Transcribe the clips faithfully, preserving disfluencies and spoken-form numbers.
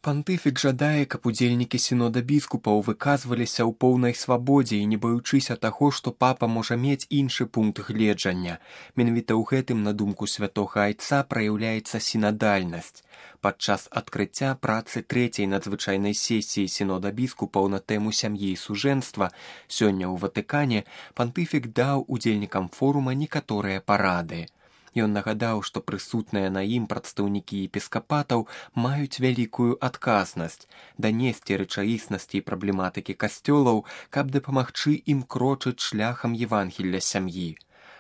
Пантыфік жадае, каб удзельнікі сінода біскупаў выказваліся ў поўнай свабодзе і не баючыся таго, што папа можа мець іншы пункт гледжання. Менавіта ў гэтым, на думку святога айца, праяўляецца сінадальнасць. Падчас адкрыцця працы трэцяй надзвычайнай сесіі сінода біскупаў на тэму сям'і і сужэнства сёння ў Ватыкане пантыфік даў удзельнікам форума некаторыя парады. Ён нагадаў, што прысутныя на ім прадстаўнікі епіскапатаў маюць вялікую адказнасць данесці рэчаіснасці і праблематыкі касцёлаў, каб дапамагчы ім крочыць шляхам Евангелля сям'і.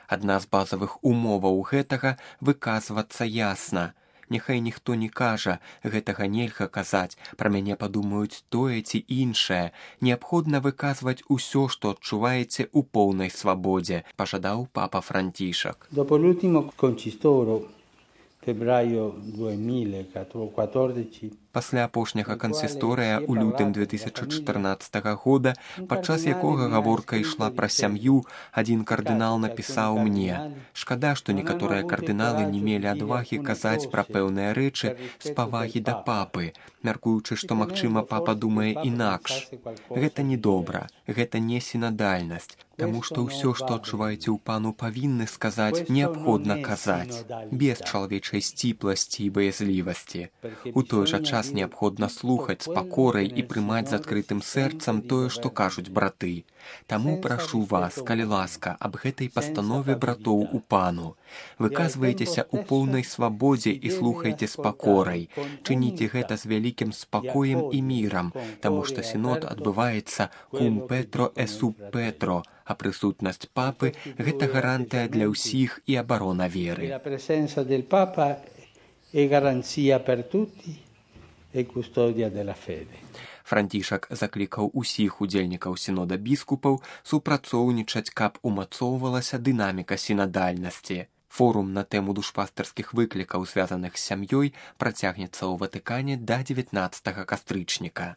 Адна з базавых умоваў гэтага — выказвацца ясна. Няхай ніхто не кажа, гэтага нельга казаць, пра мяне падумаюць тое ці іншае. Неабходна выказваць усё, што адчуваеце ў поўнай свабодзе, пажадаў папа Францішак. Dopo l'ultimo concistoro, febbraio duemilaquattordici, Пасля апошняга кансісторыя ў лютым две тысячы чатырнаццатага года, падчас якога гаворка ішла пра сям'ю, адзін кардынал напісаў мне: «Шкада, што некаторыя кардыналы не мелі адвагі казаць пра пэўныя рэчы з павагі да папы, мяркуючы, што, магчыма, папа думае інакш. Гэта не добра, гэта не сінадальнасць, таму што ўсё, што адчуваеце ў пану, павінны сказаць, неабходна казаць, без чалавечай сціпласці і баязлівасці. У той жа час неабходна слухаць з пакорай і прымаць з адкрытым сэрцам тое, што кажуць браты. Таму прашу вас, калі ласка, аб гэтай пастанове братоў у пану. Выказвайцеся ў поўнай свабодзе і слухайце з пакорай. Чыніце гэта з вялікім спакоем і мірам, таму што сінод адбываецца cum Petro e sub Petro, а прысутнасць папы — гэта гарантыя для ўсіх і абарона веры». Францішак заклікаў усіх удзельнікаў сінода біскупаў супрацоўнічаць, каб умацоўвалася дынаміка сінадальнасці. Форум на тэму душпастарскіх выклікаў, звязаных з сям'ёй, працягнецца ў Ватыкане да дзевятнаццатага кастрычніка.